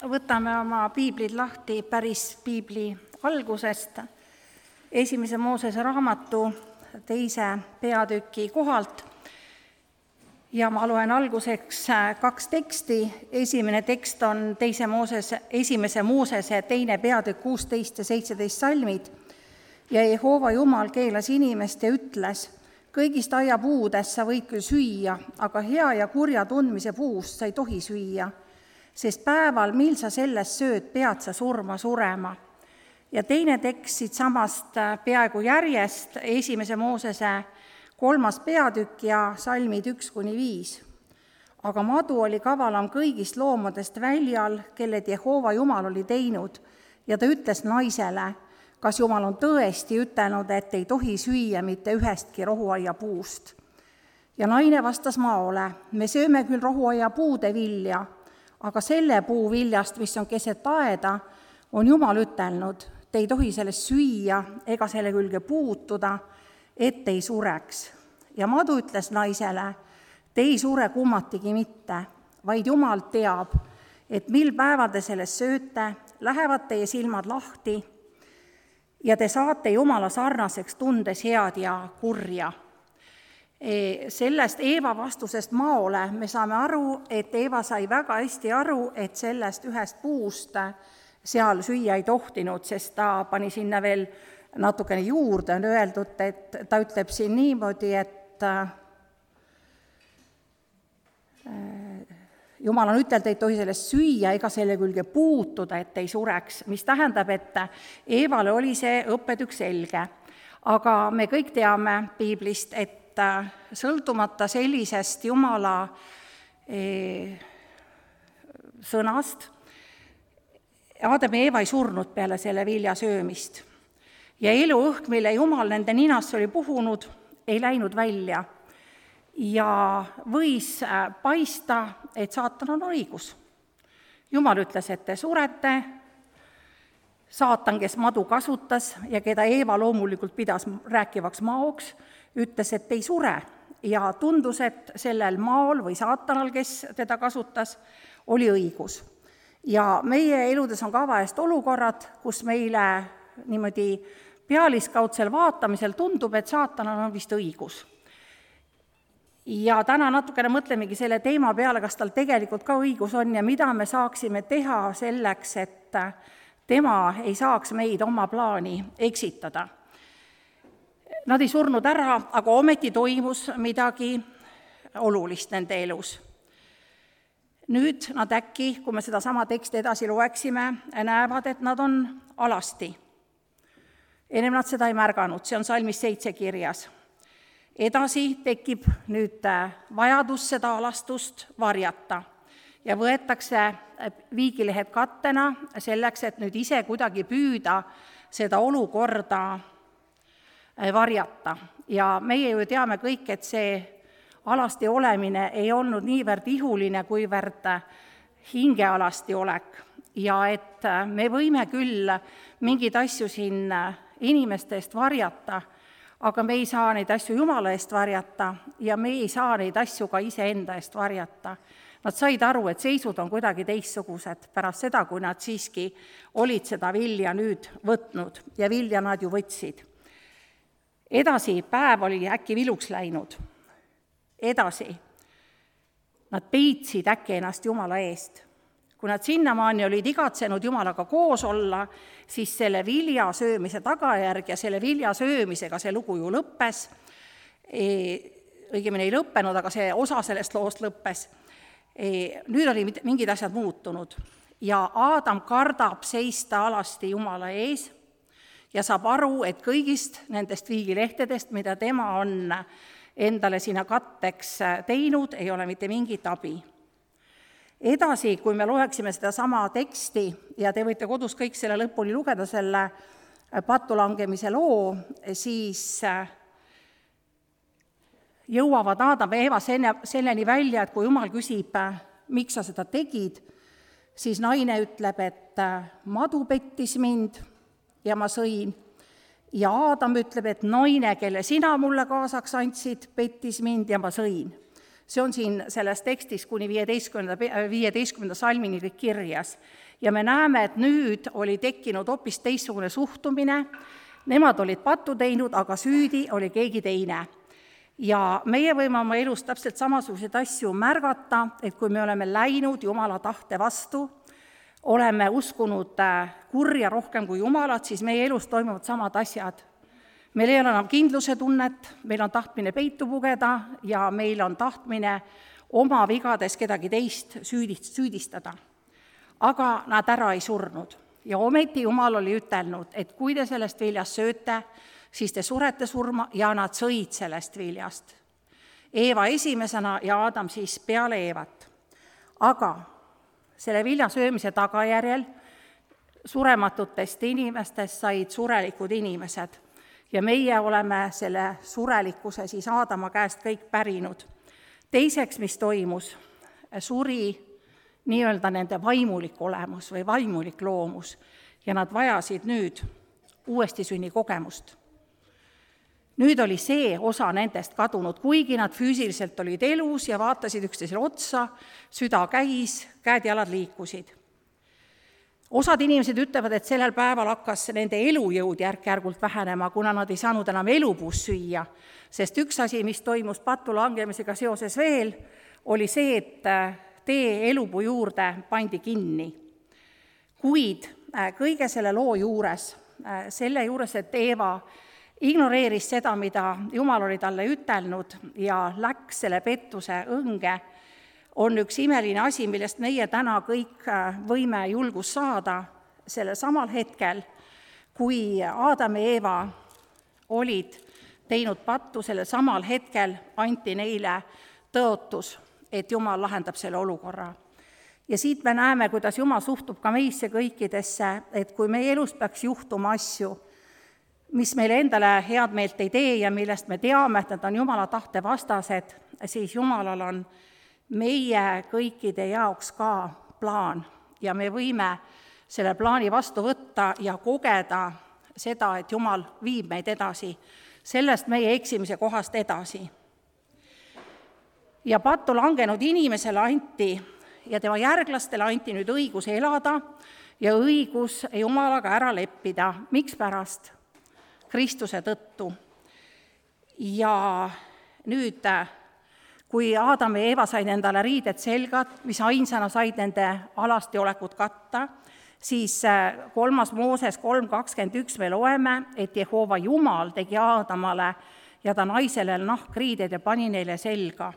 võtame oma piiblid lahti päris piibli algusest, 1. Moosese raamatu 2. peatüki kohalt. Ja ma loen alguseks 2 teksti. Esimene tekst on 1. Moosese 2. peatükk 16 ja 17 salmid. Ja Jehova Jumal keelas inimest ja ütles: kõigist aiapuudest sa võid küll süüa, aga hea ja kurja tundmise puust sa ei tohi süüa, sest päeval, mil sa sellest sööd, pead sa surema. Ja teine tekst siit samast peaaegu järjest, 1. Moosese 3. peatükk ja salmid 1-5. Aga madu oli kavalam kõigist loomadest väljal, kelled Jehova Jumal oli teinud, ja ta ütles naisele: kas Jumal on tõesti ütelnud, et ei tohi süüa mitte ühestki rohuaia puust? Ja naine vastas maole: me sööme küll rohuaia puude vilja, aga selle puu viljast, mis on keset aeda, on Jumal ütelnud: te ei tohi sellest süüa ega selle külge puutuda, et ei sureks. Ja madu ütles naisele: te ei sure kummatigi mitte, vaid Jumal teab, et mil päeval te sellest sööte, lähevad teie silmad lahti ja te saate Jumala sarnaseks, tundes head ja kurja. Sellest Eeva vastusest maole me saame aru, et Eeva sai väga hästi aru, et sellest ühest puust seal süüa ei tohtinud, sest ta pani sinna veel natukene juurde, on öeldud, et ta ütleb siin niimoodi, et Jumal on ütelnud, et ei tohi sellest süüa ega selle külge puutuda, et ei sureks, mis tähendab, et Eevale oli see õppetükk selge. Aga me kõik teame piiblist, et sõltumata sellisest Jumala sõnast, Aadam ja Eeva ei surnud peale selle vilja söömist. Ja eluõhk, mille Jumal nende ninasse oli puhunud, ei läinud välja. Ja võis paista, et saatan on õigus. Jumal ütles, et te surete. Saatan, kes madu kasutas ja keda Eeva loomulikult pidas rääkivaks maoks, ütles, et ei sure. Ja tundus, et sellel maol või saatanal, kes teda kasutas, oli õigus. Ja meie eludes on ka vahest olukorrad, kus meile niimoodi pealiskaudsel vaatamisel tundub, et saatanal on vist õigus. Ja täna natukene mõtlemegi selle teema peale, kas tal tegelikult ka õigus on ja mida me saaksime teha selleks, et tema ei saaks meid oma plaani eksitada. Nad ei surnud ära, aga ometi toimus midagi olulist nende elus. Nüüd nad äkki, kui me seda sama teksti edasi loeksime, näevad, et nad on alasti. Ennem nad seda ei märganud, see on salmis 7 kirjas. Edasi tekib nüüd vajadus seda alastust varjata ja võetakse viigilehed kattena selleks, et nüüd ise kuidagi püüda seda olukorda varjata. Ja meie ju teame kõik, et see alasti olemine ei olnud niivõrd ihuline, kuivõrd hingealasti olek. Ja et me võime küll mingeid asju siin inimeste eest varjata, aga me ei saa neid asju Jumala eest varjata ja me ei saa neid asju ka iseenda eest varjata. Nad said aru, et seisud on kuidagi teistsugused pärast seda, kui nad siiski olid seda vilja nüüd võtnud ja vilja nad ju võtsid. Edasi päev oli äkki viluks läinud. Edasi nad peitsid äkki ennast Jumala eest. Kui nad sinnamaani olid igatsenud Jumalaga koos olla, siis selle vilja söömise tagajärg ja selle vilja söömisega see lugu ju lõppes. Õigemini ei lõppenud, aga see osa sellest loost lõppes. Nüüd oli mingid asjad muutunud ja Aadam kardab seista alasti Jumala ees ja saab aru, et kõigist nendest viigilehtedest, mida tema on endale sinna katteks teinud, ei ole mitte mingit abi. Edasi, kui me loeksime seda sama teksti ja te võite kodus kõik selle lõpuni lugeda, selle pattulangemise loo, siis jõuavad Aadam ja Eeva selleni välja, et kui Jumal küsib, miks sa seda tegid, siis naine ütleb, et madu pettis mind ja ma sõin. Ja Aadam ütleb, et naine, kelle sina mulle kaasaks andsid, pettis mind ja ma sõin. See on siin selles tekstis kuni 15. salmini kõik kirjas. Ja me näeme, et nüüd oli tekkinud hoopis teistsugune suhtumine, nemad olid pattu teinud, aga süüdi oli keegi teine. Ja meie võime oma elus täpselt samasuguseid asju märgata, et kui me oleme läinud Jumala tahte vastu, oleme uskunud kurja rohkem kui Jumalat, siis meie elus toimuvad samad asjad. Meil ei ole enam kindluse tunnet, meil on tahtmine peitu pugeda ja meil on tahtmine oma vigades kedagi teist süüdistada. Aga nad ära ei surnud. Ja ometi Jumal oli ütelnud, et kui te sellest viljast sööte, siis te surete surma ja nad sõid sellest viljast. Eeva esimesena ja Aadam siis peale Eevat. Aga selle vilja söömise tagajärjel surematutest inimestest said surelikud inimesed. Ja meie oleme selle surelikkuse siis Aadama käest kõik pärinud. Teiseks, mis toimus, suri nii-öelda nende vaimulik olemus või vaimulik loomus ja nad vajasid nüüd uuesti sünni kogemust. Nüüd oli see osa nendest kadunud, kuigi nad füüsiliselt olid elus ja vaatasid üksteisele otsa, süda käis, käed-jalad liikusid. Osad inimesed ütlevad, et sellel päeval hakkas nende elujõud järk-järgult vähenema, kuna nad ei saanud enam elupuust süüa, sest üks asi, mis toimus pattu langemisega seoses veel, oli see, et tee elupuu juurde pandi kinni. Kuid kõige selle loo juures, et Eeva ignoreeris seda, mida Jumal oli talle ütelnud ja läks selle pettuse õnge, on üks imeline asi, millest meie täna kõik võime julgust saada selle samal hetkel, kui Aadam ja Eeva olid teinud pattu, selle samal hetkel anti neile tõotus, et Jumal lahendab selle olukorra. Ja siit me näeme, kuidas Jumal suhtub ka meisse kõikidesse, et kui meie elus peaks juhtuma asju, mis meile endale head meelt ei tee ja millest me teame, et nad on Jumala tahte vastased, siis Jumalal on meie kõikide jaoks ka plaan ja me võime selle plaani vastu võtta ja kogeda seda, et Jumal viib meid edasi, sellest meie eksimise kohast edasi. Ja pattu langenud inimesele anti ja tema järglastele anti nüüd õigus elada ja õigus Jumalaga ära leppida. Mikspärast? Kristuse tõttu. Ja nüüd kui Aadam ja Eeva said endale riided selgad, mis ainsana said nende alasti olekut katta, siis 3. Mooses 3.21 me loeme, et Jehova Jumal tegi Aadamale ja ta naisele nahkriided ja pani neile selga,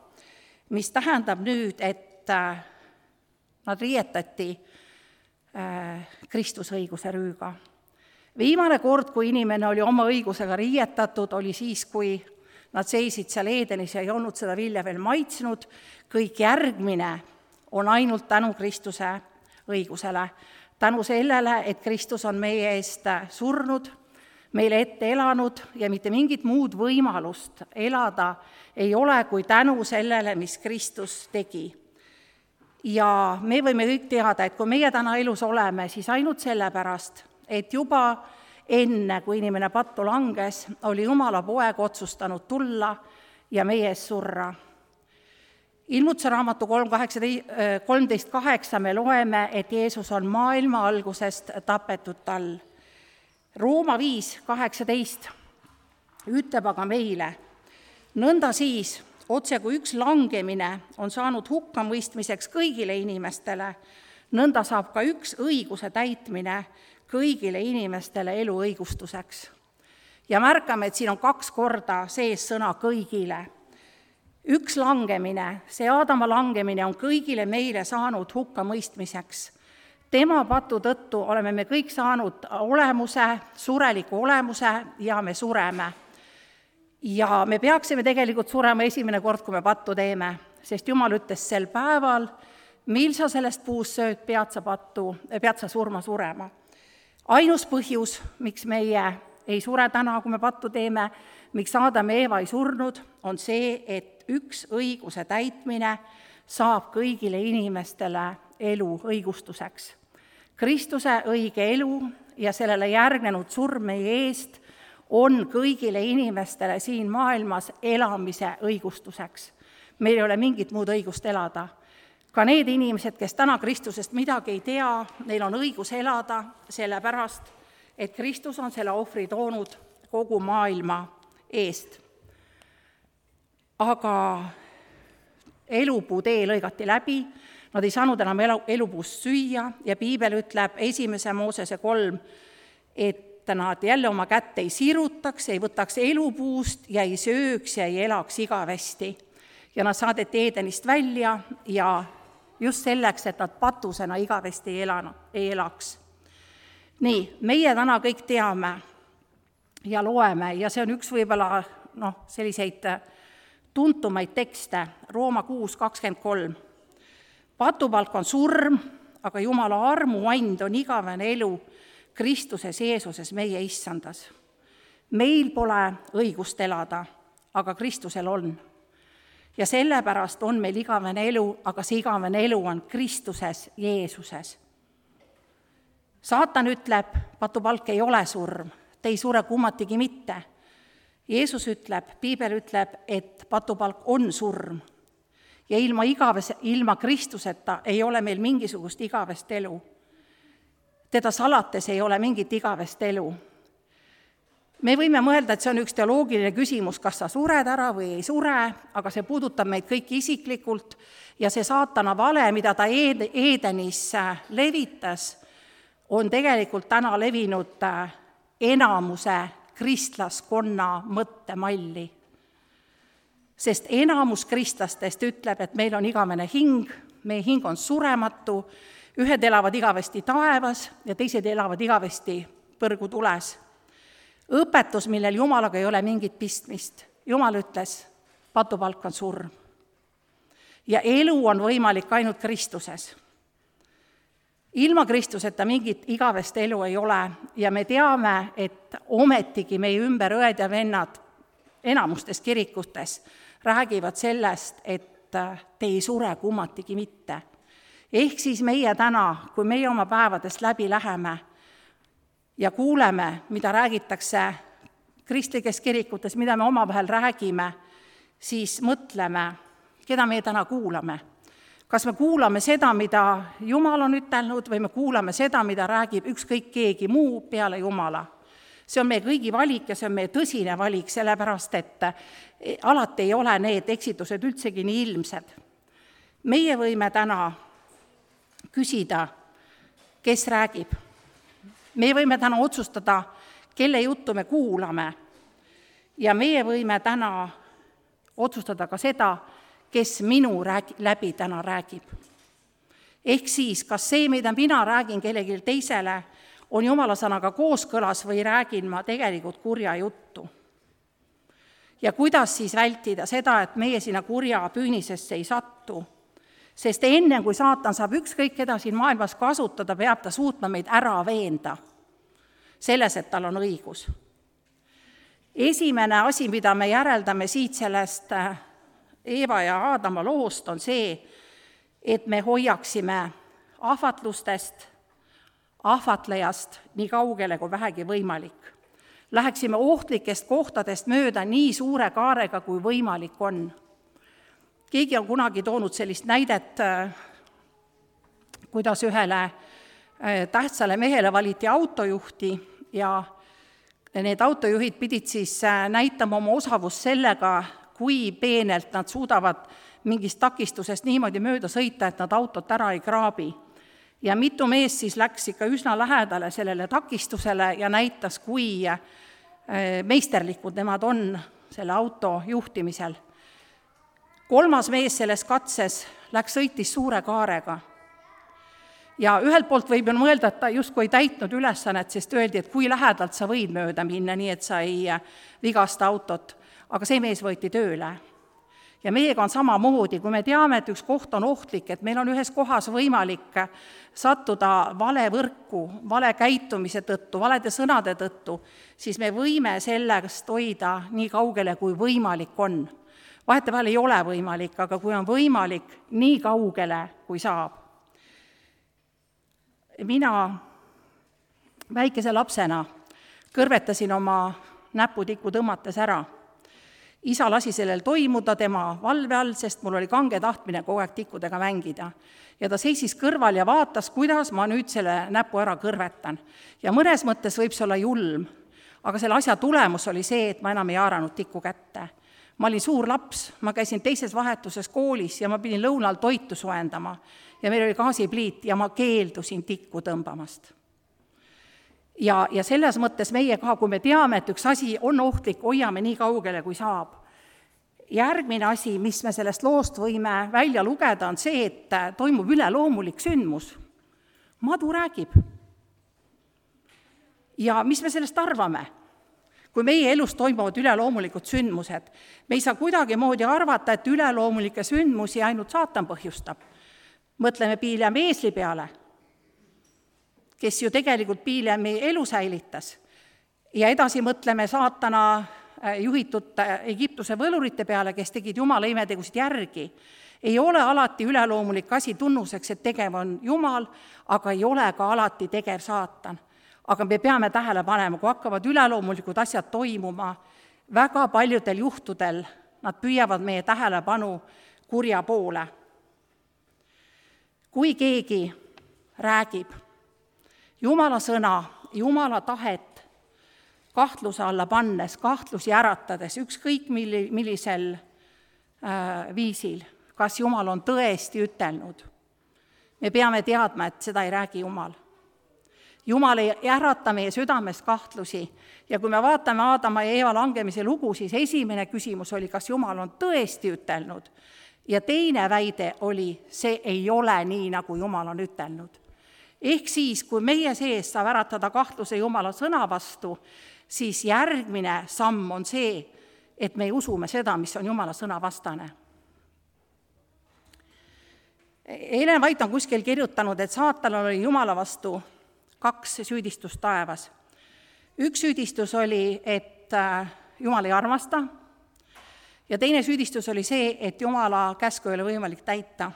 mis tähendab nüüd, et nad riietati Kristusõiguse rüüga. Viimane kord, kui inimene oli oma õigusega riietatud, oli siis, kui nad seisid seal Eedenis ja ei olnud seda vilja veel maitsnud. Kõik järgmine on ainult tänu Kristuse õigusele. Tänu sellele, et Kristus on meie eest surnud, meile ette elanud ja mitte mingit muud võimalust elada ei ole kui tänu sellele, mis Kristus tegi. Ja me võime kõik teada, et kui meie täna elus oleme, siis ainult sellepärast, et juba enne, kui inimene pattu langes, oli Jumala poeg otsustanud tulla ja meie ees surra. Ilmutuse raamatu 13.8 me loeme, et Jeesus on maailma algusest tapetud tal. Rooma 5.18 ütleb aga meile, nõnda siis, otse kui üks langemine on saanud hukkamõistmiseks kõigile inimestele, nõnda saab ka üks õiguse täitmine kõigile inimestele elu õigustuseks. Ja märkame, et siin on 2 korda sees sõna kõigile. Üks langemine, see Aadama langemine on kõigile meile saanud hukkamõistmiseks. Tema patu tõttu oleme me kõik saanud olemuse, sureliku olemuse ja me sureme. Ja me peaksime tegelikult surema esimene kord, kui me pattu teeme, sest Jumal ütles sel päeval, mil sa sellest puust sööd, pead sa surema. Ainus põhjus, miks meie ei sure täna, kui me pattu teeme, miks Aadam ja Eeva ei surnud, on see, et üks õiguse täitmine saab kõigile inimestele elu õigustuseks. Kristuse õige elu ja sellele järgnenud surm meie eest on kõigile inimestele siin maailmas elamise õigustuseks. meil ei ole mingit muud õigust elada. Ka need inimesed, kes täna Kristusest midagi ei tea, neil on õigus elada sellepärast, et Kristus on selle ohvri toonud kogu maailma eest. Aga elupuu tee lõigati läbi, nad ei saanud enam elupuust süüa ja piibel ütleb 1. Moosese 3, et nad jälle oma kätt ei sirutaks, ei võtaks elupuust ja ei sööks ja ei elaks igavesti. Ja nad saadeti Eedenist välja ja just selleks, et nad patusena igavesti ei elaks. Nii, meie täna kõik teame ja loeme ja see on üks võib-olla selliseid tuntumaid tekste, Rooma 6:23. Patupalk on surm, aga Jumala armuand on igavene elu Kristuses Jeesuses meie issandas. Meil pole õigust elada, aga Kristusel on. Ja sellepärast on meil igavene elu, aga see igavene elu on Kristuses Jeesuses. Saatan ütleb, patupalk ei ole surm, te ei sure kummatigi mitte. Jeesus ütleb, piibel ütleb, et patupalk on surm. Ja ilma Kristuseta ei ole meil mingisugust igavest elu. Teda salates ei ole mingit igavest elu. Me võime mõelda, et see on üks teoloogiline küsimus, kas sa sured ära või ei sure, aga see puudutab meid kõiki isiklikult ja see saatana vale, mida ta Eedenis levitas, on tegelikult täna levinud enamuse kristlaskonna mõttemalli. Sest enamus kristlastest ütleb, et meil on igavene hing, meie hing on surematu, ühed elavad igavesti taevas ja teised elavad igavesti põrgutules. Õpetus, millel Jumalaga ei ole mingit pistmist. Jumal ütles, patupalk on surm. Ja elu on võimalik ainult Kristuses. Ilma Kristuseta mingit igavest elu ei ole ja me teame, et ometigi meie ümber õed ja vennad enamustes kirikutes räägivad sellest, et te ei sure kummatigi mitte. Ehk siis meie täna, kui meie oma päevadest läbi läheme, ja kuuleme, mida räägitakse kristlikes kirikutes, mida me omavahel räägime, siis mõtleme, keda me täna kuulame. Kas me kuulame seda, mida Jumal on ütelnud, või me kuulame seda, mida räägib ükskõik keegi muu peale Jumala. See on meie kõigi valik ja see on meie tõsine valik, sellepärast et alati ei ole need eksitused üldsegi nii ilmsed. Meie võime täna küsida, kes räägib. Me võime täna otsustada, kelle juttu me kuulame ja meie võime täna otsustada ka seda, kes minu läbi täna räägib. Ehk siis, kas see, mida mina räägin kellelegi teisele, on Jumala sõnaga kooskõlas või räägin ma tegelikult kurja juttu. Ja kuidas siis vältida seda, et meie sinna kurja püünisesse ei sattu? Sest enne, kui saatan saab ükskõik keda siin maailmas kasutada, peab ta suutma meid ära veenda selles, et tal on õigus. Esimene asi, mida me järeldame siit sellest Eeva ja Aadama loost, on see, et me hoiaksime ahvatlustest, ahvatlejast nii kaugele kui vähegi võimalik. Läheksime ohtlikest kohtadest mööda nii suure kaarega, kui võimalik on. Keegi on kunagi toonud sellist näidet, kuidas ühele tähtsale mehele valiti autojuhti ja need autojuhid pidid siis näitama oma osavust sellega, kui peenelt nad suudavad mingist takistusest niimoodi mööda sõita, et nad autot ära ei kraabi. Ja mitu meest siis läks ikka üsna lähedale sellele takistusele ja näitas, kui meisterlikud nemad on selle auto juhtimisel. 3. mees selles katses sõitis suure kaarega. Ja ühelt poolt võib ju mõelda, et ta justkui ei täitnud ülesannet, sest öeldi, et kui lähedalt sa võid mööda minna, nii et sa ei vigasta autot, aga see mees võeti tööle. Ja meiega on samamoodi, kui me teame, et üks koht on ohtlik, et meil on ühes kohas võimalik sattuda vale võrku, vale käitumise tõttu, valede sõnade tõttu, siis me võime sellest hoida nii kaugele, kui võimalik on. Vahetevahel ei ole võimalik, aga kui on võimalik, nii kaugele, kui saab. Mina väikese lapsena kõrvetasin oma näputikku tõmmates ära Isa lasi sellel toimuda tema valve all, sest mul oli kange tahtmine kogu aeg tikkudega mängida. Ja ta seisis kõrval ja vaatas, kuidas ma nüüd selle näpu ära kõrvetan. Ja mõnes mõttes võib see olla julm, aga selle asja tulemus oli see, et ma enam ei haaranud tikku kätte. Ma olin suur laps, ma käisin teises vahetuses koolis ja ma pidin lõunal toitu soendama ja meil oli gaasipliit ja ma keeldusin tikku tõmbamast. Ja selles mõttes meie ka, kui me teame, et üks asi on ohtlik, hoiame nii kaugele, kui saab. Järgmine asi, mis me sellest loost võime välja lugeda, on see, et toimub üleloomulik sündmus. Madu räägib. Ja mis me sellest arvame? Kui meie elus toimuvad üleloomulikud sündmused, me ei saa kuidagi moodi arvata, et üleloomulikke sündmusi ainult saatan põhjustab. Mõtleme Piilemi eesli peale, kes ju tegelikult Piilemi elu säilitas. Ja edasi mõtleme saatana juhitud Egiptuse võlurite peale, kes tegid Jumala imetegusid järgi. Ei ole alati üleloomulik asi tunnuseks, et tegev on Jumal, aga ei ole ka alati tegev saatan. Aga me peame tähele panema, kui hakkavad üleloomulikud asjad toimuma, väga paljudel juhtudel nad püüavad meie tähelepanu kurja poole. Kui keegi räägib Jumala sõna, Jumala tahet kahtluse alla pannes, kahtlusi äratades, ükskõik millisel viisil, kas Jumal on tõesti ütelnud. Me peame teadma, et seda ei räägi Jumal. Jumal ei ärata meie südames kahtlusi ja kui me vaatame Aadama ja Eeva langemise lugu, siis esimene küsimus oli, kas Jumal on tõesti ütelnud. Ja teine väide oli, see ei ole nii, nagu Jumal on ütelnud. Ehk siis, kui meie sees saab äratada kahtluse Jumala sõna vastu, siis järgmine samm on see, et me usume seda, mis on Jumala sõna vastane. Ellen White on kuskil kirjutanud, et saatanal oli Jumala vastu 2 süüdistust taevas. Üks süüdistus oli, et Jumal ei armasta, ja teine süüdistus oli see, et Jumala käsku ei ole võimalik täita.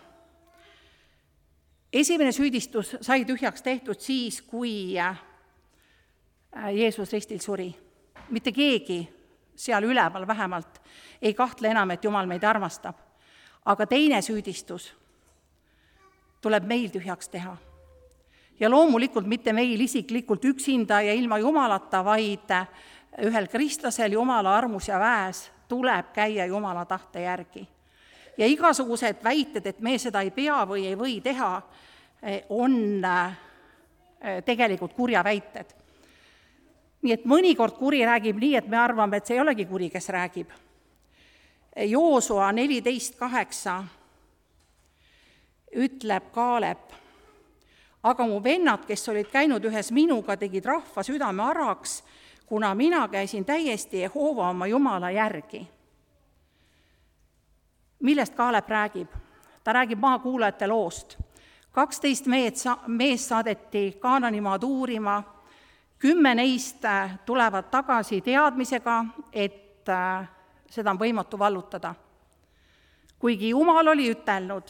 Esimene süüdistus sai tühjaks tehtud siis, kui Jeesus ristil suri. Mitte keegi seal üleval vähemalt ei kahtle enam, et Jumal meid armastab. Aga teine süüdistus tuleb meil tühjaks teha. Ja loomulikult mitte meil isiklikult üksinda ja ilma Jumalata, vaid ühel kristlasel Jumala armus ja väes tuleb käia Jumala tahte järgi. Ja igasugused väited, et me seda ei pea või ei või teha, on tegelikult kurja väited. Nii et mõnikord kuri räägib nii, et me arvame, et see ei olegi kuri, kes räägib. Joosua 14:8 ütleb Kaalep, aga mu vennad, kes olid käinud ühes minuga, tegid rahva südame araks, kuna mina käisin täiesti Jehova oma Jumala järgi. Millest Kaalep räägib? Ta räägib maakuulajate loost. 12 meest saadeti Kaananimaad uurima, 10 neist tulevad tagasi teadmisega, et seda on võimatu vallutada. Kuigi Jumal oli ütelnud,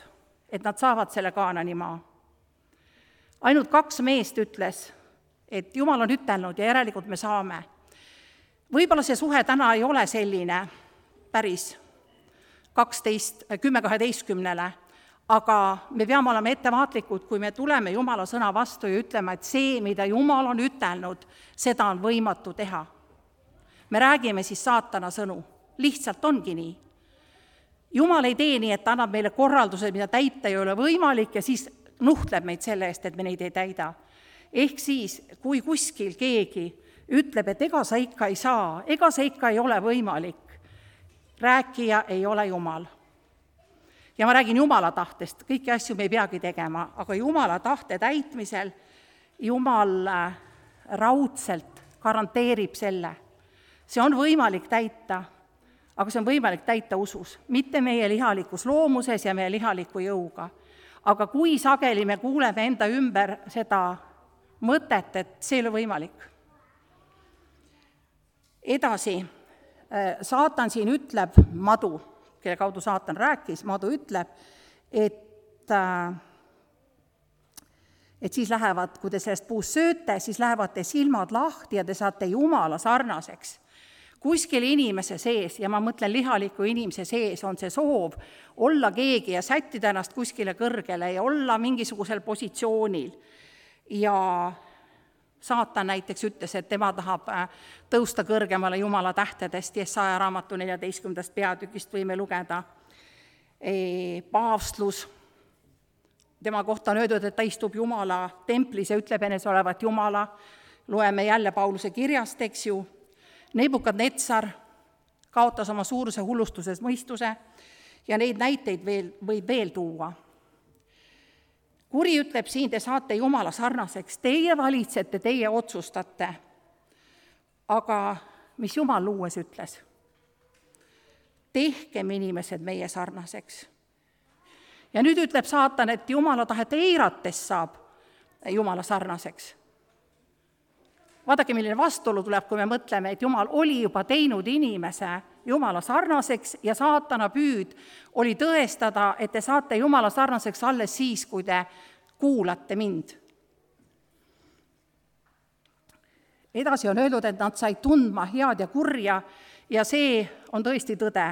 et nad saavad selle Kaananimaa. Ainult 2 meest ütles, et Jumal on ütelnud ja järelikult me saame. Võib-olla see suhe täna ei ole selline päris 10-12, aga me peame olema ettevaatlikud, kui me tuleme Jumala sõna vastu ja ütleme, et see, mida Jumal on ütelnud, seda on võimatu teha. Me räägime siis saatana sõnu. Lihtsalt ongi nii. Jumal ei tee nii, et ta annab meile korraldused, mida täita ei ole võimalik ja siis nuhtleb meid selle eest, et me neid ei täida. Ehk siis, kui kuskil keegi ütleb, et ega sa ikka ei saa, ega sa ikka ei ole võimalik, rääkija ei ole Jumal. Ja ma räägin Jumala tahtest, kõiki asju me ei peagi tegema, aga Jumala tahte täitmisel Jumal raudselt garanteerib selle. See on võimalik täita, aga see on võimalik täita usus, mitte meie lihalikus loomuses ja meie lihaliku jõuga. Aga kui sageli me kuuleme enda ümber seda mõtet, et see ei ole võimalik. Edasi, saatan siin ütleb, madu, kelle kaudu saatan rääkis, madu ütleb, et siis lähevad, kui te sellest puust sööte, siis lähevad te silmad lahti ja te saate Jumala sarnaseks. Kuskil inimese sees, ja ma mõtlen lihaliku inimese sees, on see soov olla keegi ja sättida ennast kuskile kõrgele ja olla mingisugusel positsioonil. Ja Saatan näiteks ütles, et tema tahab tõusta kõrgemale Jumala tähtedest, Jesaja raamatu 14. peatükist võime lugeda. Paavstlus, tema kohta on öeldud, et ta istub Jumala templis ja ütleb enes olevat Jumala, loeme jälle Pauluse kirjast, eks ju. Nebukadnetsar kaotas oma suuruse hullustuses mõistuse ja neid näiteid võib veel tuua. Kuri ütleb siin, te saate Jumala sarnaseks, teie valitsete, teie otsustate. Aga mis Jumal luues ütles? Tehkem inimesed meie sarnaseks. Ja nüüd ütleb Saatan, et Jumala tahet eirates saab Jumala sarnaseks. Vaadake, milline vastuolu tuleb, kui me mõtleme, et Jumal oli juba teinud inimese Jumala sarnaseks ja Saatana püüd oli tõestada, et te saate Jumala sarnaseks alles siis, kui te kuulate mind. Edasi on öeldud, et nad said tundma head ja kurja ja see on tõesti tõde.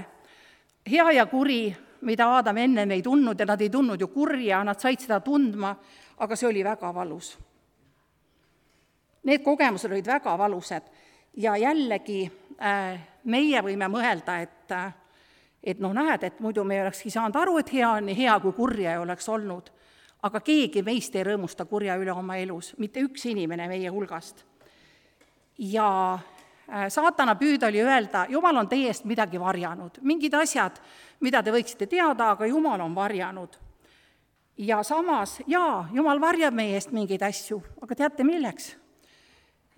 Hea ja kuri, mida Aadam enne ei tundnud ja nad ei tundnud ju kurja, nad said seda tundma, aga see oli väga valus. Need kogemused olid väga valusad ja jällegi meie võime mõelda, et näed, et muidu me olekski saanud aru, et hea on nii hea, kui kurja ei oleks olnud. Aga keegi meist ei rõõmusta kurja üle oma elus, mitte üks inimene meie hulgast. Ja Saatana püüd oli öelda, Jumal on teie eest midagi varjanud, mingid asjad, mida te võiksite teada, aga Jumal on varjanud. Ja samas, Jumal varjab meie eest mingeid asju, aga teate milleks?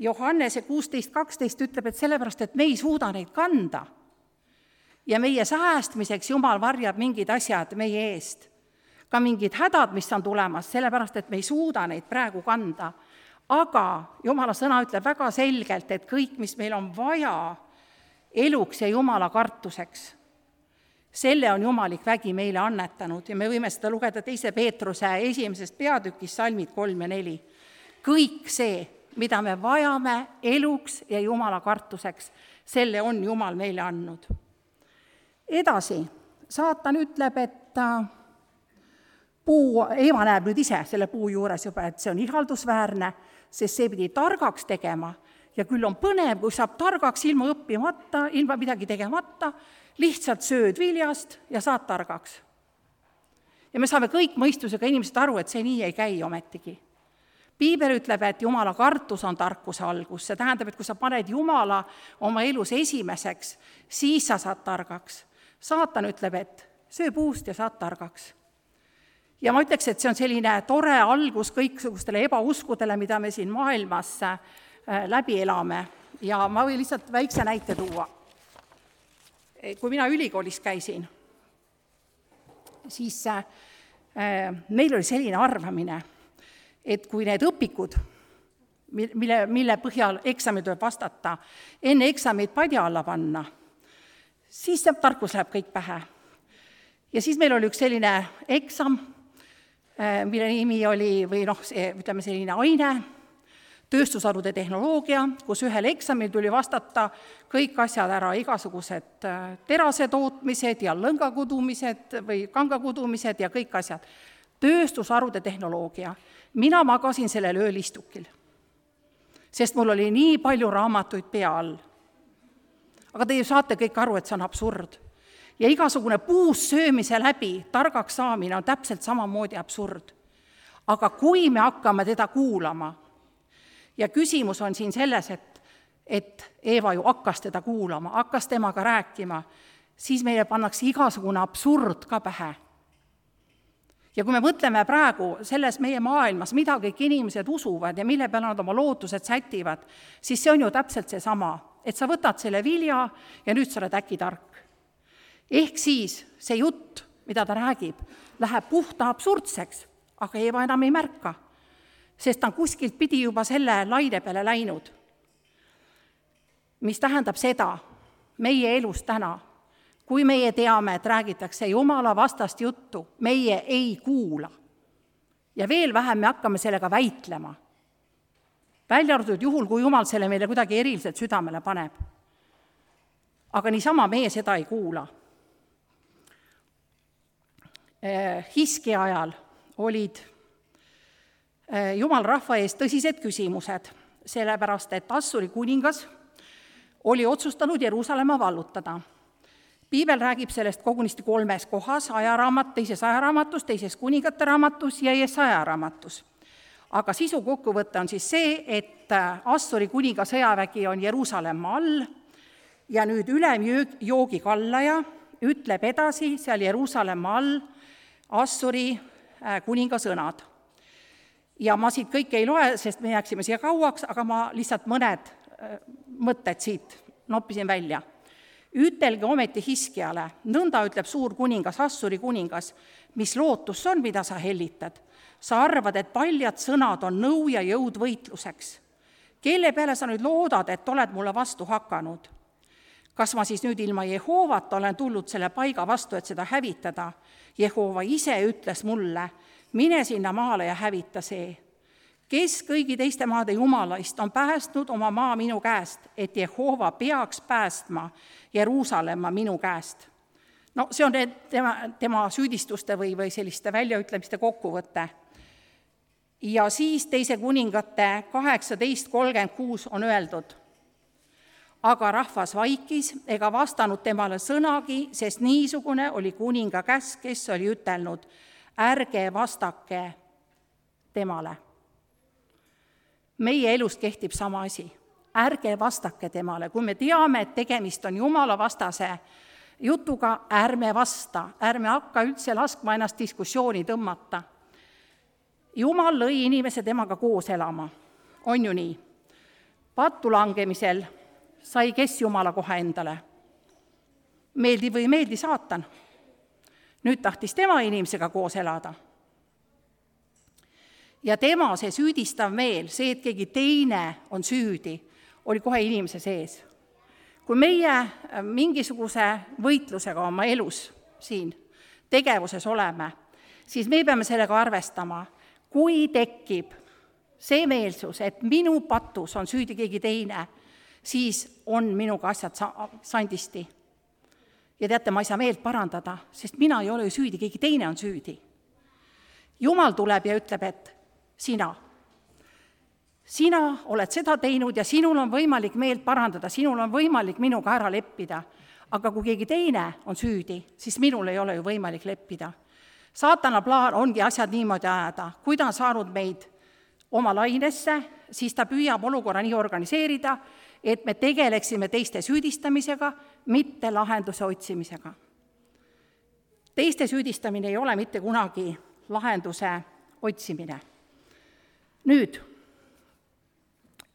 Johannese 16:12 ütleb, et sellepärast, et me ei suuda neid kanda. Ja meie säästmiseks Jumal varjab mingid asjad meie eest. Ka mingid hädad, mis on tulemas, sellepärast, et me ei suuda neid praegu kanda. Aga Jumala sõna ütleb väga selgelt, et kõik, mis meil on vaja eluks ja Jumala kartuseks, selle on jumalik vägi meile annetanud ja me võime seda lugeda 2. Peetruse 1. peatükis salmid 3 ja 4. Kõik see, mida me vajame eluks ja Jumala kartuseks, selle on Jumal meile andnud. Edasi, Saatan ütleb, et Eeva näeb nüüd ise selle puu juures juba, et see on ihaldusväärne, sest see pidi targaks tegema ja küll on põnev, kui saab targaks ilma õppimata, ilma midagi tegemata, lihtsalt sööd viljast ja saad targaks. Ja me saame kõik mõistusega inimesed aru, et see nii ei käi ometigi. Piibel ütleb, et Jumala kartus on tarkuse algus, see tähendab, et kui sa paned Jumala oma elus esimeseks, siis sa saad targaks. Saatan ütleb, et söö puust ja saad targaks. Ja ma ütleks, et see on selline tore algus kõiksugustele ebauskudele, mida me siin maailmas läbi elame. Ja ma võin lihtsalt väikse näite tuua. Kui mina ülikoolis käisin, siis meil oli selline arvamine, et kui need õpikud, mille põhjal eksamid tuleb vastata, enne eksamid padja alla panna, siis see tarkus läheb kõik pähe. Ja siis meil oli üks selline eksam, mille nimi oli, ütleme selline aine, tööstusharude tehnoloogia, kus ühel eksamil tuli vastata kõik asjad ära, igasugused terase tootmised ja lõngakudumised või kangakudumised ja kõik asjad. Tööstusharude tehnoloogia. Mina magasin sellel öölistukil, sest mul oli nii palju raamatuid pea all. Aga te ju saate kõik aru, et see on absurd. Ja igasugune puus söömise läbi targaks saamine on täpselt samamoodi absurd. Aga kui me hakkame teda kuulama, ja küsimus on siin selles, et Eeva ju hakkas teda kuulama, hakkas temaga rääkima, siis meile pannakse igasugune absurd ka pähe. Ja kui me mõtleme praegu selles meie maailmas, mida kõik inimesed usuvad ja mille peale nad oma lootused sätivad, siis see on ju täpselt see sama, et sa võtad selle vilja ja nüüd sa oled äkki tark. Ehk siis see jutt, mida ta räägib, läheb puhta absurdseks, aga Eeva enam ei märka, sest ta on kuskilt pidi juba selle laine peale läinud. Mis tähendab seda meie elus täna, kui meie teame, et räägitakse Jumala vastast juttu, meie ei kuula. Ja veel vähem me hakkame sellega väitlema. Välja arvatud juhul, kui Jumal selle meile kuidagi eriliselt südamele paneb. Aga niisama meie seda ei kuula. Hiskja ajal olid Jumal rahva ees tõsised küsimused, sellepärast et Assuri kuningas oli otsustanud Jeruusalemma vallutada. Piibel räägib sellest kogunisti 3 kohas, ajaraamat, 2. ajaraamatus, 2. kuningate raamatus ja Jesaja raamatus. Aga sisu kokkuvõte on siis see, et Assuri kuninga sõjavägi on Jeruusalemma all ja nüüd ülemjoogi kallaja ütleb edasi seal Jeruusalemma all Assuri kuninga sõnad. Ja ma siit kõike ei loe, sest me jääksime siia kauaks, aga ma lihtsalt mõned mõtted siit noppisin välja. Ütelge ometi Hiskjale, nõnda ütleb suur kuningas, Assuri kuningas, mis lootus on, mida sa hellitad. Sa arvad, et paljad sõnad on nõu ja jõud võitluseks. Kelle peale sa nüüd loodad, et oled mulle vastu hakanud? Kas ma siis nüüd ilma Jehoovat olen tulnud selle paiga vastu, et seda hävitada? Jehova ise ütles mulle, mine sinna maale ja hävita see. Kes kõigi teiste maade jumalaist on päästnud oma maa minu käest, et Jehova peaks päästma Jeruusalemma minu käest? No see on tema süüdistuste või selliste väljaütlemiste kokkuvõte. Ja siis 2. kuningate 18:36 on öeldud, aga rahvas vaikis ega vastanud temale sõnagi, sest niisugune oli kuninga käsk, kes oli ütelnud, ärge vastake temale. Meie elust kehtib sama asi. Ärge vastake temale. Kui me teame, et tegemist on Jumala vastase jutuga, ärme vasta, ärme hakka üldse laskma ennast diskussiooni tõmmata. Jumal lõi inimese temaga koos elama. On ju nii? Pattu langemisel sai kes Jumala koha endale? Meeldi või meeldi saatan? Nüüd tahtis tema inimesega koos elada. Ja tema see süüdistav meel, see, et keegi teine on süüdi, oli kohe inimese sees. Kui meie mingisuguse võitlusega oma elus siin tegevuses oleme, siis me peame sellega arvestama, kui tekib see meelsus, et minu patus on süüdi keegi teine, siis on minuga asjad sandisti. Ja teate, ma ei saa meelt parandada, sest mina ei ole ju süüdi, keegi teine on süüdi. Jumal tuleb ja ütleb, et sina oled seda teinud ja sinul on võimalik meelt parandada, sinul on võimalik minuga ära leppida. Aga kui keegi teine on süüdi, siis minul ei ole ju võimalik leppida. Saatana plaan ongi asjad niimoodi ajada. Kui ta on saanud meid oma lainesse, siis ta püüab olukorra nii organiseerida, et me tegeleksime teiste süüdistamisega, mitte lahenduse otsimisega. Teiste süüdistamine ei ole mitte kunagi lahenduse otsimine. Nüüd,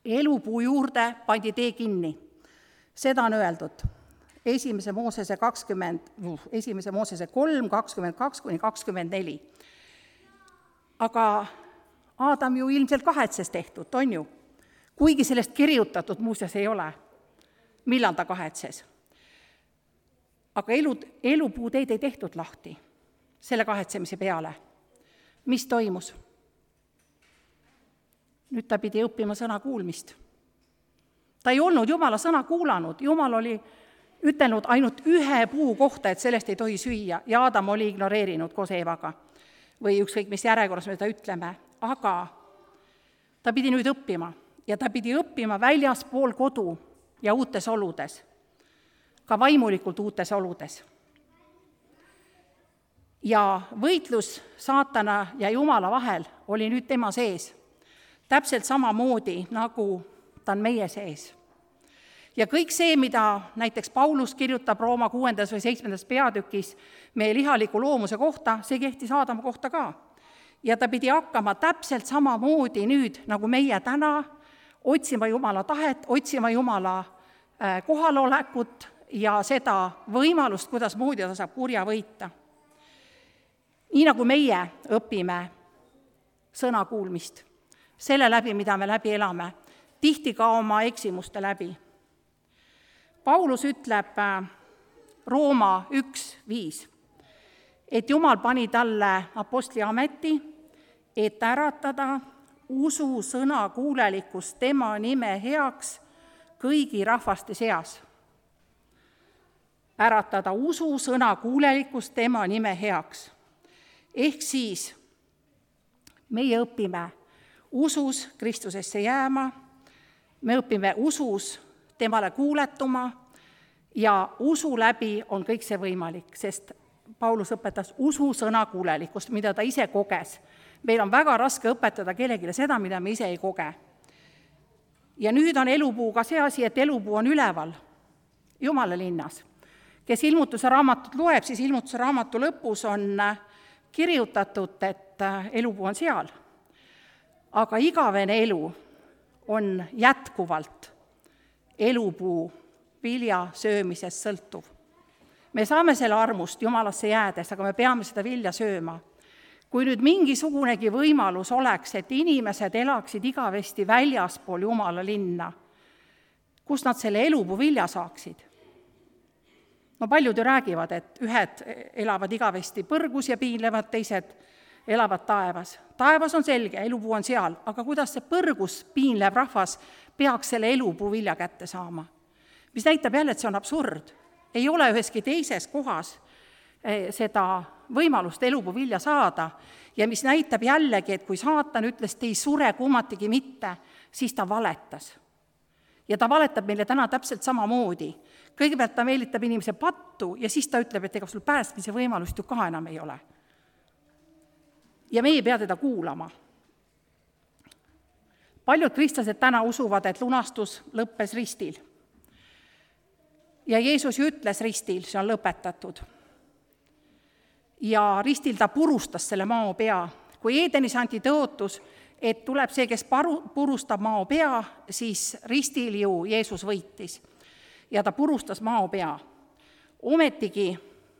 elupuu juurde pandi tee kinni. Seda on öeldud 1. Moosese 3, 22-24. Aga Aadam ju ilmselt kahetses tehtud, on ju? Kuigi sellest kirjutatud muuseas ei ole. Millal ta kahetses? Aga elupuuteed ei tehtud lahti selle kahetsemise peale. Mis toimus? Nüüd ta pidi õppima sõna kuulmist. Ta ei olnud Jumala sõna kuulanud. Jumal oli ütelnud ainult ühe puu kohta, et sellest ei tohi süüa, ja Aadam oli ignoreerinud koos Eevaga. Või ükskõik, mis järjekorras me seda ütleme. Aga ta pidi nüüd õppima. Ja ta pidi õppima väljaspool kodu ja uutes oludes. Ka vaimulikult uutes oludes. Ja võitlus saatana ja Jumala vahel oli nüüd tema sees. Täpselt samamoodi, nagu ta on meie sees. Ja kõik see, mida näiteks Paulus kirjutab Rooma 6. või 7. peatükis meie lihaliku loomuse kohta, see kehtis Aadama kohta ka. Ja ta pidi hakkama täpselt samamoodi nüüd, nagu meie täna, otsima Jumala tahet, otsima Jumala kohalolekut ja seda võimalust, kuidas moodi ta saab kurja võita. Nii nagu meie õpime sõna kuulmist, selle läbi, mida me läbi elame, tihti ka oma eksimuste läbi. Paulus ütleb Rooma 1:5, et Jumal pani talle apostli ameti, et äratada usu sõna kuulelikkus tema nime heaks kõigi rahvaste seas. äratada ususõna kuulelikkust tema nime heaks. Ehk siis meie õpime usus Kristusesse jääma, me õpime usus temale kuuletuma ja usu läbi on kõik see võimalik, sest Paulus õpetas ususõna kuulelikkust, mida ta ise koges. Meil on väga raske õpetada kellelegi seda, mida me ise ei koge. Ja nüüd on elupuuga see asi, et elupuu on üleval Jumala linnas. Kes ilmutuse raamatut loeb, siis ilmutuse raamatu lõpus on kirjutatud, et elupuu on seal. Aga igavene elu on jätkuvalt elupuu vilja söömisest sõltuv. Me saame selle armust Jumalasse jäädes, aga me peame seda vilja sööma. Kui nüüd mingisugunegi võimalus oleks, et inimesed elaksid igavesti väljaspool Jumala linna, kus nad selle elupuu vilja saaksid? No paljud ju räägivad, et ühed elavad igavesti põrgus ja piinlevad, teised elavad taevas. Taevas on selge, elupuu on seal, aga kuidas see põrgus piinlev rahvas peaks selle elupuu vilja kätte saama? Mis näitab jälle, et see on absurd. Ei ole üheski teises kohas seda võimalust elupuu vilja saada ja mis näitab jällegi, et kui saatan ütles, te ei sure kummatigi mitte, siis ta valetas. Ja ta valetab meile täna täpselt samamoodi. Kõigepealt ta meelitab inimese pattu ja siis ta ütleb, et ega sul päästmise võimalust ju ka enam ei ole. Ja me ei pea teda kuulama. Paljud kristlased täna usuvad, et lunastus lõppes ristil. Ja Jeesus ju ütles ristil, see on lõpetatud. Ja ristil ta purustas selle mao pea. Kui Edenis anti tõotus, et tuleb see, kes purustab mao pea, siis ristil ju Jeesus võitis. Ja ta purustas mao pea. Ometigi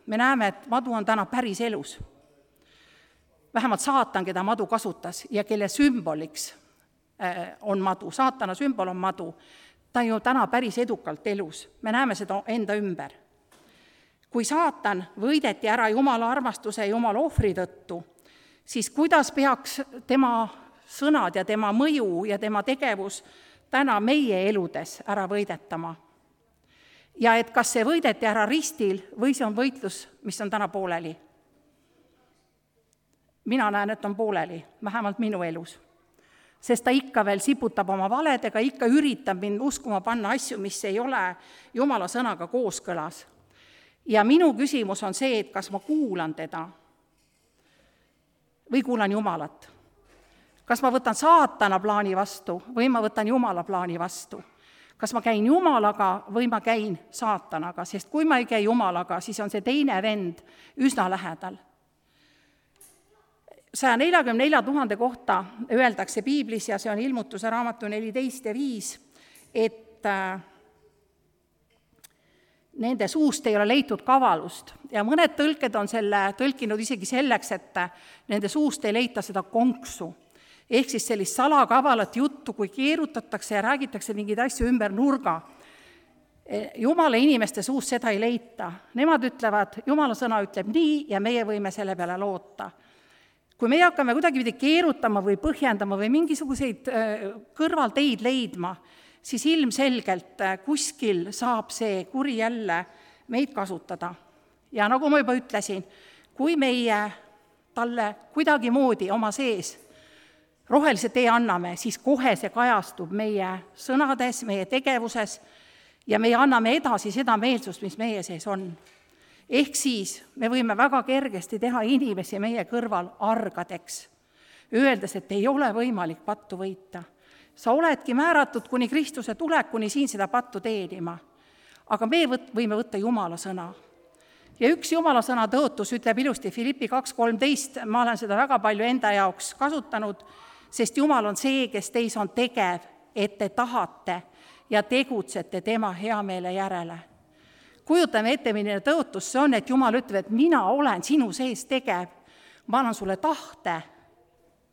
me näeme, et madu on täna päris elus. Vähemalt saatan, keda madu kasutas ja kelle sümboliks on madu. Saatana sümbol on madu. Ta on ju täna päris edukalt elus. Me näeme seda enda ümber. Kui saatan võideti ära Jumala armastuse ja Jumala ohvri tõttu, siis kuidas peaks tema sõnad ja tema mõju ja tema tegevus täna meie eludes ära võidetama? Ja et kas see võideti ära ristil või see on võitlus, mis on täna pooleli? Mina näen, et on pooleli, vähemalt minu elus. Sest ta ikka veel siputab oma valedega, ikka üritab mind uskuma panna asju, mis ei ole Jumala sõnaga kooskõlas. Ja minu küsimus on see, et kas ma kuulan teda või kuulan Jumalat. Kas ma võtan saatana plaani vastu või ma võtan Jumala plaani vastu. Kas ma käin Jumalaga või ma käin saatanaga, sest kui ma ei käi Jumalaga, siis on see teine vend üsna lähedal. 144 000 kohta öeldakse Piiblis ja see on ilmutuse raamatu 14 ja 5, et nende suust ei ole leitud kavalust ja mõned tõlked on selle tõlkinud isegi selleks, et nende suust ei leita seda konksu. Ehk siis sellist salakavalat juttu, kui keerutatakse ja räägitakse mingeid asju ümber nurga. Jumala inimeste suust seda ei leita. Nemad ütlevad, Jumala sõna ütleb nii ja meie võime selle peale loota. Kui me hakkame kuidagi keerutama või põhjendama või mingisuguseid kõrvalteid leidma, siis ilmselgelt kuskil saab see kuri jälle meid kasutada. Ja nagu ma juba ütlesin, kui meie talle kuidagi moodi oma sees rohelise tee anname, siis kohe see kajastub meie sõnades, meie tegevuses ja me anname edasi seda meelsust, mis meie sees on. Ehk siis me võime väga kergesti teha inimesi meie kõrval argadeks, öeldes, et ei ole võimalik pattu võita. Sa oledki määratud kuni Kristuse tulekuni siin seda pattu teenima, aga me võime võtta Jumala sõna. Ja üks Jumala sõna tõotus ütleb ilusti Filippi 2.13, ma olen seda väga palju enda jaoks kasutanud, sest Jumal on see, kes teis on tegev, et te tahate ja tegutsete tema heameele järele. Kujutame ette, milline tõotus see on, et Jumal ütleb, et mina olen sinu sees tegev, ma annan sulle tahte,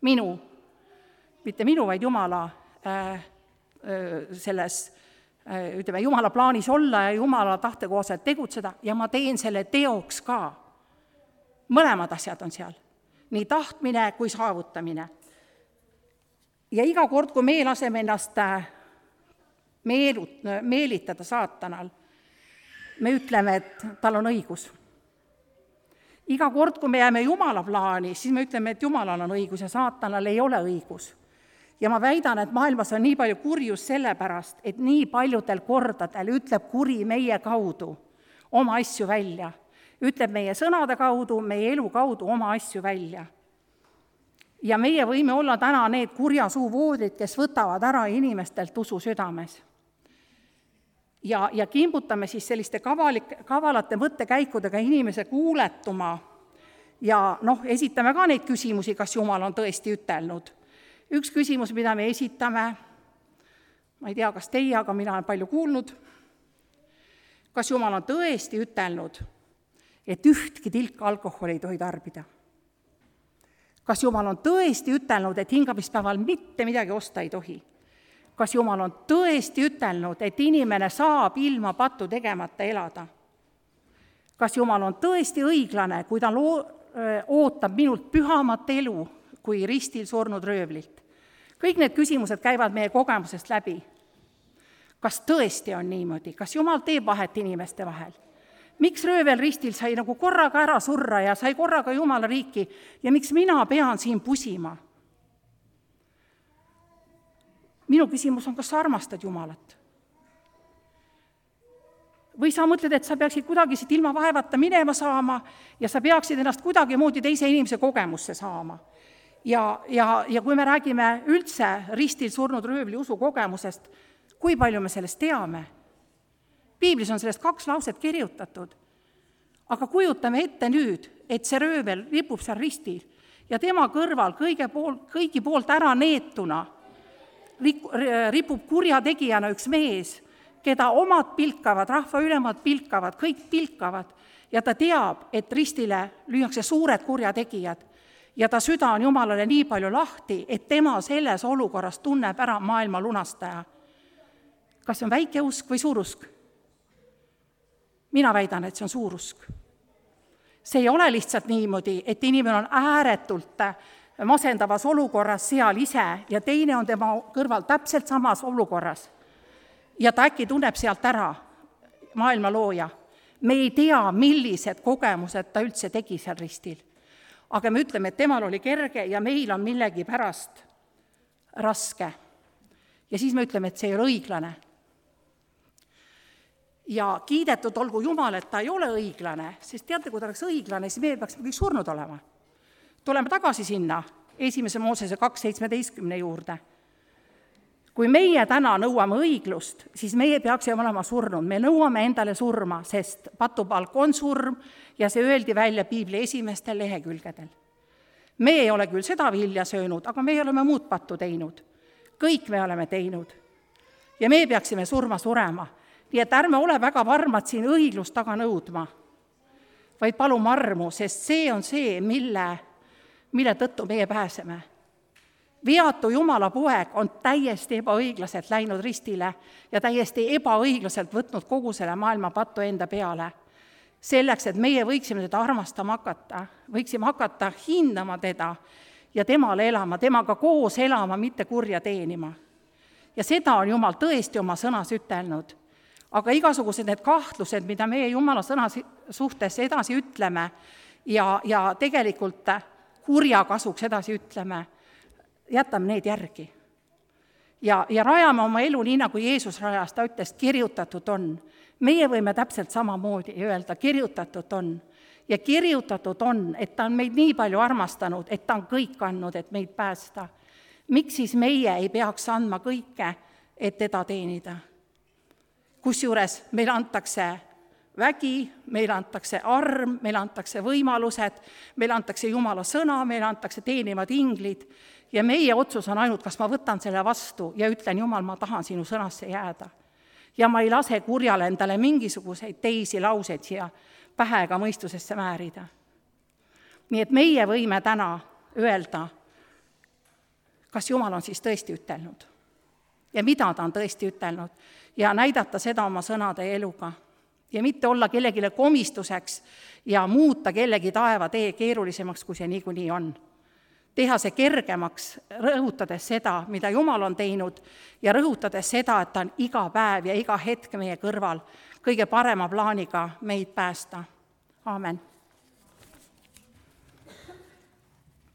mitte minu, vaid Jumala selles, ütleme, Jumala plaanis olla ja Jumala tahte kohaselt tegutseda ja ma teen selle teoks ka. Mõlemad asjad on seal, nii tahtmine kui saavutamine. Ja iga kord, kui me laseme ennast meelitada saatanal, me ütleme, et tal on õigus. Iga kord, kui me jääme Jumala plaani, siis me ütleme, et Jumalal on õigus ja saatanal ei ole õigus. Ja ma väidan, et maailmas on nii palju kurjus sellepärast, et nii paljudel kordadel ütleb kuri meie kaudu oma asju välja. Ütleb meie sõnade kaudu, meie elu kaudu oma asju välja. Ja meie võime olla täna need kurja suu voodid, kes võtavad ära inimestelt usu südames. Ja kimbutame siis selliste kavalate mõttekäikudega inimese kuuletuma ja esitame ka neid küsimusi, kas Jumal on tõesti ütelnud. Üks küsimus, mida me esitame, ma ei tea, kas teie, aga mina olen palju kuulnud, kas Jumal on tõesti ütelnud, et ühtki tilka alkoholi ei tohi tarbida? Kas Jumal on tõesti ütelnud, et hingamispäeval mitte midagi osta ei tohi? Kas Jumal on tõesti ütelnud, et inimene saab ilma pattu tegemata elada? Kas Jumal on tõesti õiglane, kui ta ootab minult pühamat elu kui ristil surnud röövlilt? Kõik need küsimused käivad meie kogemusest läbi. Kas tõesti on niimoodi? Kas Jumal teeb vahet inimeste vahel? Miks röövel ristil sai nagu korraga ära surra ja sai korraga Jumala riiki ja miks mina pean siin pusima? Minu küsimus on, kas sa armastad Jumalat? Või sa mõtled, et sa peaksid kuidagi siit ilma vaevata minema saama ja sa peaksid ennast kuidagi moodi teise inimese kogemusse saama. Ja kui me räägime üldse ristil surnud röövli usu kogemusest, kui palju me sellest teame? Piiblis on sellest 2 lauset kirjutatud. Aga kujutame ette nüüd, et see röövel ripub seal ristil ja tema kõrval kõigi poolt ära neetuna ripub kurjategijana üks mees, keda omad pilkavad, rahva ülemad pilkavad, kõik pilkavad ja ta teab, et ristile lüüakse suured kurjategijad ja ta süda on Jumalale nii palju lahti, et tema selles olukorras tunneb ära maailma lunastaja. Kas see on väike usk või suur usk? Mina väidan, et see on suur usk. See ei ole lihtsalt niimoodi, et inimene on ääretult masendavas olukorras seal ise ja teine on tema kõrval täpselt samas olukorras. Ja ta äkki tunneb sealt ära maailma looja. Me ei tea, millised kogemused ta üldse tegi seal ristil. Aga me ütleme, et temal oli kerge ja meil on millegi pärast raske. Ja siis me ütleme, et see ei ole õiglane. Ja kiidetud olgu Jumal, et ta ei ole õiglane, sest teate, kui ta oleks õiglane, siis me peaksime kõik surnud olema. Tuleme tagasi sinna 1. Moosese 2.17 juurde. Kui meie täna nõuame õiglust, siis meie peaksime olema surnud. Me nõuame endale surma, sest patupalk on surm ja see öeldi välja Piibli esimestel lehekülgedel. Me ei ole küll seda vilja söönud, aga me oleme muud pattu teinud. Kõik me oleme teinud. Ja me peaksime surema. Nii et ärme ole väga varmad siin õiglust taga nõudma, vaid palume armu, sest see on see, mille tõttu meie pääseme. Veatu Jumala poeg on täiesti ebaõiglaselt läinud ristile ja täiesti ebaõiglaselt võtnud kogu selle maailma pattu enda peale. Selleks, et meie võiksime teda armastama hakata, võiksime hakata hindama teda ja temale elama, temaga koos elama, mitte kurja teenima. Ja seda on Jumal tõesti oma sõnas ütelnud. Aga igasugused need kahtlused, mida meie Jumala sõna suhtes edasi ütleme ja tegelikult kurja kasuks edasi ütleme, jätame need järgi. Ja rajame oma elu nii, nagu Jeesus rajas, ta ütles, kirjutatud on. Meie võime täpselt samamoodi öelda, kirjutatud on. Ja kirjutatud on, et ta on meid nii palju armastanud, et ta on kõik andnud, et meid päästa. Miks siis meie ei peaks andma kõike, et teda teenida? Kusjuures meil antakse vägi, meil antakse arm, meil antakse võimalused, meil antakse Jumala sõna, meil antakse teenivad inglid ja meie otsus on ainult, kas ma võtan selle vastu ja ütlen, Jumal, ma tahan sinu sõnasse jääda. Ja ma ei lase kurjale endale mingisuguseid teisi lauseid siia pähe ega mõistusesse määrida. Nii et meie võime täna öelda, kas Jumal on siis tõesti ütelnud ja mida ta on tõesti ütelnud ja näidata seda oma sõnade ja eluga. Ja mitte olla kellegile komistuseks ja muuta kellegi taeva tee keerulisemaks, kui see niikuinii on. teha see kergemaks, rõhutades seda, mida Jumal on teinud ja rõhutades seda, et ta on iga päev ja iga hetk meie kõrval kõige parema plaaniga meid päästa. Aamen.